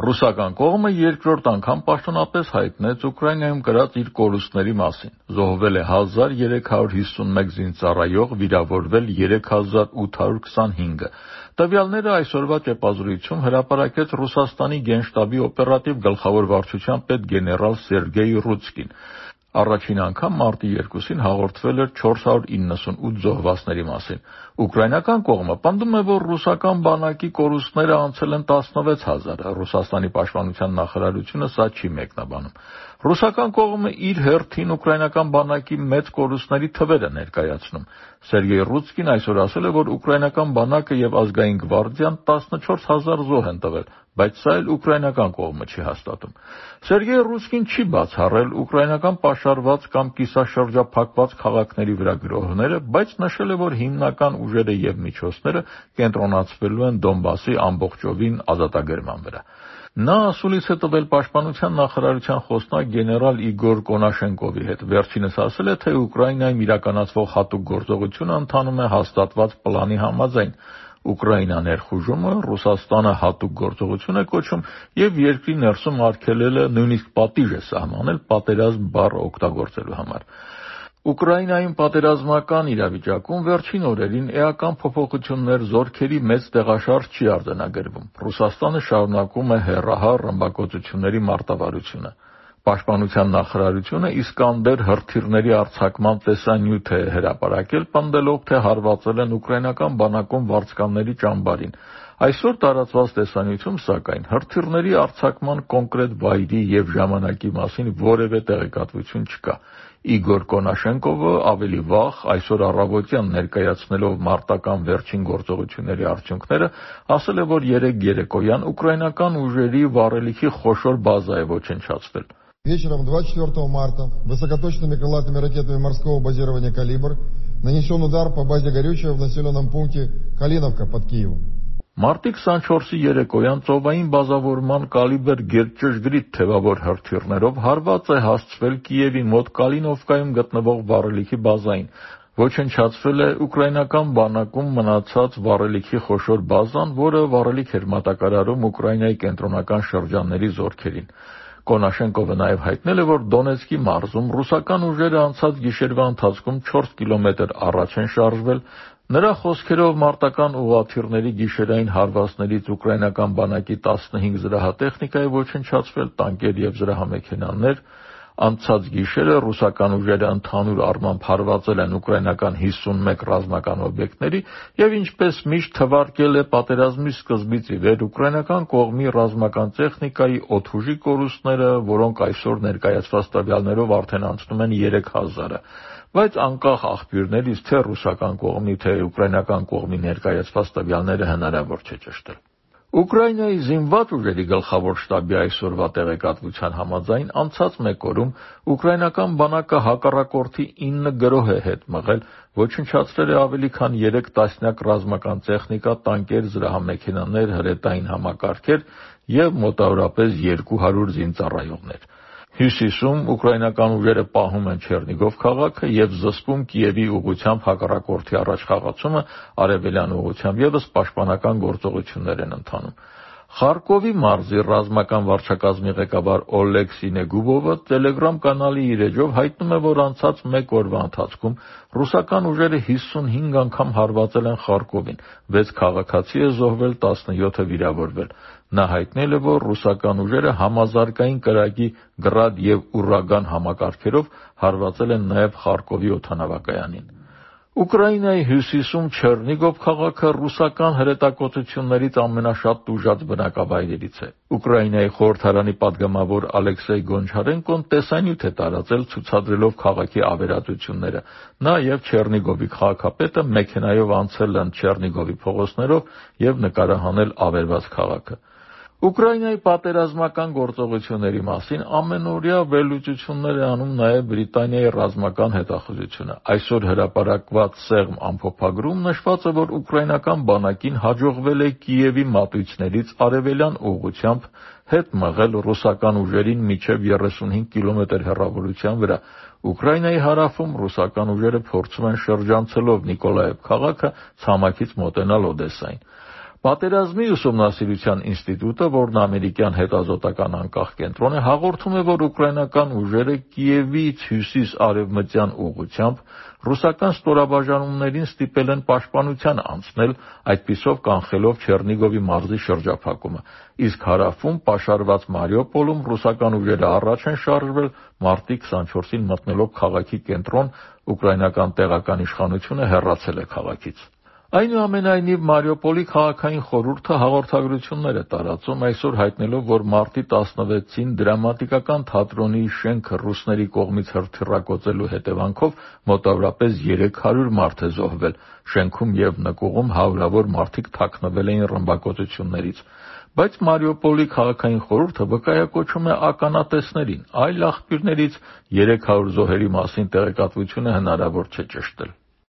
Ռուսական կողմը երկրորդ անգամ պաշտոնապես հայտնեց Ուկրաինայում կրած իր կորուստների մասին։ Զոհվել է 1351 զինծառայող, վիրավորվել 3825-ը։ Տվյալները այսօրվա ճեպազրույցում հրապարակեց Ռուսաստանի Գենշտաբի օպերատիվ գլխավոր վարչության պետ գեներալ Սերգեյ Ռուցկին։ Առաջին անգամ մարտի 2-ին հաղորդվել էր 498 զոհվածների մասին։ Ուկրաինական կողմը պնդում է, որ ռուսական բանակի կորուստները անցել են 16000։ Ռուսաստանի պաշտպանության նախարարությունը սա չի մեկնաբանում։ Ռուսական կողմը իր հերթին ուկրաինական բանակի մեծ կորուստների թվերը ներկայացնում։ Սերգեյ Ռուցկին այսօր ասել է, որ ուկրաինական բանակը եւ ազգային գվարդիան 14000 զոհ են տվել, բայց սա էլ ուկրաինական կողմը չի հաստատում։ Սերգեյ Ռուցկին չի բացառել ուկրաինական պաշարված կամ կիսաշրջափակված քաղաքների վրա գրոհները, բայց նշել է, որ հիմնական ուժերը եւ միջոցները կենտրոնացվելու են Դոնբասի ամբողջովին ազատագրման վրա։ Նա ասուլիս է տվել պաշտպանության նախարարության խոսնակ գեներալ Իգոր Կոնաշենկովի հետ։ Վերջինս ասել է, թե Ուկրաինայում իրականացվող հատուկ գործողությունը ընթանում է հաստատված պլանի համաձայն։ Ուկրաինա ներխուժումը Ռուսաստանը հատուկ գործողություն է կոչում եւ երկրի ներսում արգելել է նույնիսկ պատիժ է սահմանել պատերազմ բառը օգտագործելու համար։ Ուկրաինայում պատերազմական իրավիճակում վերջին օրերին էական փոփոխություններ, զորքերի մեծ տեղաշարժ չի արձանագրվում։ Ռուսաստանը շարունակում է հեռահար ռմբակոծությունների մարտավարությունը։ Պաշտպանության նախարարությունը Իսկանդեր հրթիռների արձակման տեսանյութ է հրապարակել, պնդելով, թե հարվածել են ուկրաինական բանակում վարձկանների ճամբարին։ Այսօր տարածված տեսանյութում, սակայն, հրթիռների արձակման կոնկրետ վայրի եւ ժամանակի մասին որևէ տեղեկատվություն չկա։ Իգոր Կոնաշենկովը ավելի վաղ այսօր առավոտյան ներկայացնելով մարտական վերջին գործողությունների արդյունքները, ասել է, որ երեկոյան ուկրաինական ուժերի վառելիքի խոշոր բազա է ոչնչացվել։ Вечером 24 марта высокоточными крылатыми ракетами морского базирования «Калибр» нанесен удар по базе горючего в населенном пункте Калиновка под Киевом. Մարտի 24-ի երեկոյան ծովային բազավորման կալիբր գերճշգրիտ թևավոր հրթիռներով հարված է հասցվել Կիևի մոտ Կալինովկայում գտնվող վառելիքի բազային։ Ոչնչացվել է ուկրաինական բանակում մնացած վառելիքի խոշոր բազան, որը վառելիք էր մատակարարում Ուկրաինայի կենտրոնական շրջանների զորքերին։ Կոնաշենկովը նաև հայտնել է, որ Դոնեցկի մարզում ռուսական ուժերը անցած գիշերվա ընթացքում 4 կիլոմետր առաջ են շարժվել։ Նրա խոսքերով մարտական ուղղաթիռների գիշերային հարվածներից ուկրաինական բանակի 15 զրահատեխնիկա է ոչնչացվել, տանկեր եւ զրահամեքենաներ։ Անցած գիշերը ռուսական ուժերը ընդհանուր առմամբ հարվածել են ուկրաինական 51 ռազմական օբյեկտների եւ ինչպես միշտ թվարկել է պատերազմի սկզբից ի վեր ուկրաինական կողմի ռազմական տեխնիկայի օդուժի կորուստները, որոնք այսօր ներկայացված տվյալներով արդեն անցնում են 3000-ը, բայց անկախ աղբյուրներից թե ռուսական կողմի, թե ուկրաինական կողմի ներկայացված տվյալները հնարավոր չէ ճշտել։ Ուկրաինայի զինված ուժերի գլխավոր շտաբի այսօրվա տեղեկատվության համաձայն անցած մեկ օրում ուկրաինական բանակը հակառակորդի 9 գրոհ է հետ մղել, ոչնչացրել է ավելի քան 3 տասնյակ ռազմական տեխնիկա, տանկեր, զրահամեքենաներ, հրետային համակարգեր եւ մոտավորապես 200 զինծառայողներ։ Հյուսիսում ուկրաինական ուժերը պահում են Չեռնիգով քաղաքը եւ զսպում Կիևի ուղղությամբ հակառակորդի առաջխաղացումը, արևելյան ուղղությամբ եւս պաշտպանական գործողություններ են ընթանում։ Խարկովի մարզի ռազմական վարչակազմի ղեկավար Օլեգ Սինեգուբովը Telegram կանալի իր էջով հայտնում է, որ անցած մեկ օրվա ընթացքում ռուսական ուժերը 55 անգամ հարվածել են Խարկովին, 6 քաղաքացի է զոհվել, 17-ը վիրավորվել։ Նա հայտնել է, որ ռուսական ուժերը համազարգային կրակի գրադ եւ ուրագան համակարգերով հարվածել են նաեւ Խարկովի օդանավակայանին։ Ուկրաինայի հյուսիսում Չեռնիգով քաղաքը ռուսական հրետակոծություններից ամենաշատ տուժած բնակավայրերից է։ Ուկրաինայի խորհրդարանի падգամավոր Ալեքսեյ Գոնչարենկոն տեսանյութ է տարածել ցուցադրելով քաղաքի ավերածությունները։ Նա եւ Չեռնիգովի քաղաքապետը մեքենայով անցել են Չեռնիգովի փողոցներով եւ նկարահանել ավերված քաղաքը։ Ուկրաինայի պատերազմական գործողությունների մասին ամենօրյա վերլուծություններ է անում նաև Բրիտանիայի ռազմական հետախուզությունը։ Այսօր հրապարակված սեղմ ամփոփագրում նշված է, որ ուկրաինական բանակին հաջողվել է Կիևի մատույցներից արևելյան ուղղությամբ հետ մղել ռուսական ուժերին մինչև 35 կիլոմետր հեռավորության վրա։ Ուկրաինայի հարավում ռուսական ուժերը փորձում են շրջանցելով Նիկոլաև քաղաքը ցամաքից մոտենալ Օդեսային։ Պատերազմի ուսումնասիրության ինստիտուտը, որն ամերիկյան հետազոտական անկախ կենտրոն է, հաղորդում է, որ ուկրաինական ուժերը Կիևից հյուսիս-արևմտյան ուղղությամբ ռուսական ստորաբաժանումներին ստիպել են պաշտպանության անցնել, այդպիսով կանխելով Չեռնիգովի մարզի շրջափակումը, իսկ հարավում պաշարված Մարիուպոլում ռուսական ուժերը առաջ են շարժվել, մարտի 24-ին մտնելով քաղաքի կենտրոն, ուկրաինական տեղական իշխանությունը հեռացել է քաղաքից։ Այնուամենայնիվ, Մարիուպոլի քաղաքային խորհուրդը հաղորդագրություններ է տարածում, այսօր հայտնելով, որ մարտի 16-ին դրամատիկական թատրոնի շենքը ռուսների կողմից հրթիռակոծելու հետևանքով մոտավորապես 300 մարդ է զոհվել, շենքում և նկուղում հարյուրավոր մարդիկ թաքնվել էին ռմբակոծություններից։ Բայց Մարիուպոլի քաղաքային խորհուրդը վկայակոչում է ականատեսներին, այլ աղբյուրներից 300 զոհերի մասին տեղեկատվությունը հնարավոր չէ ճշտել։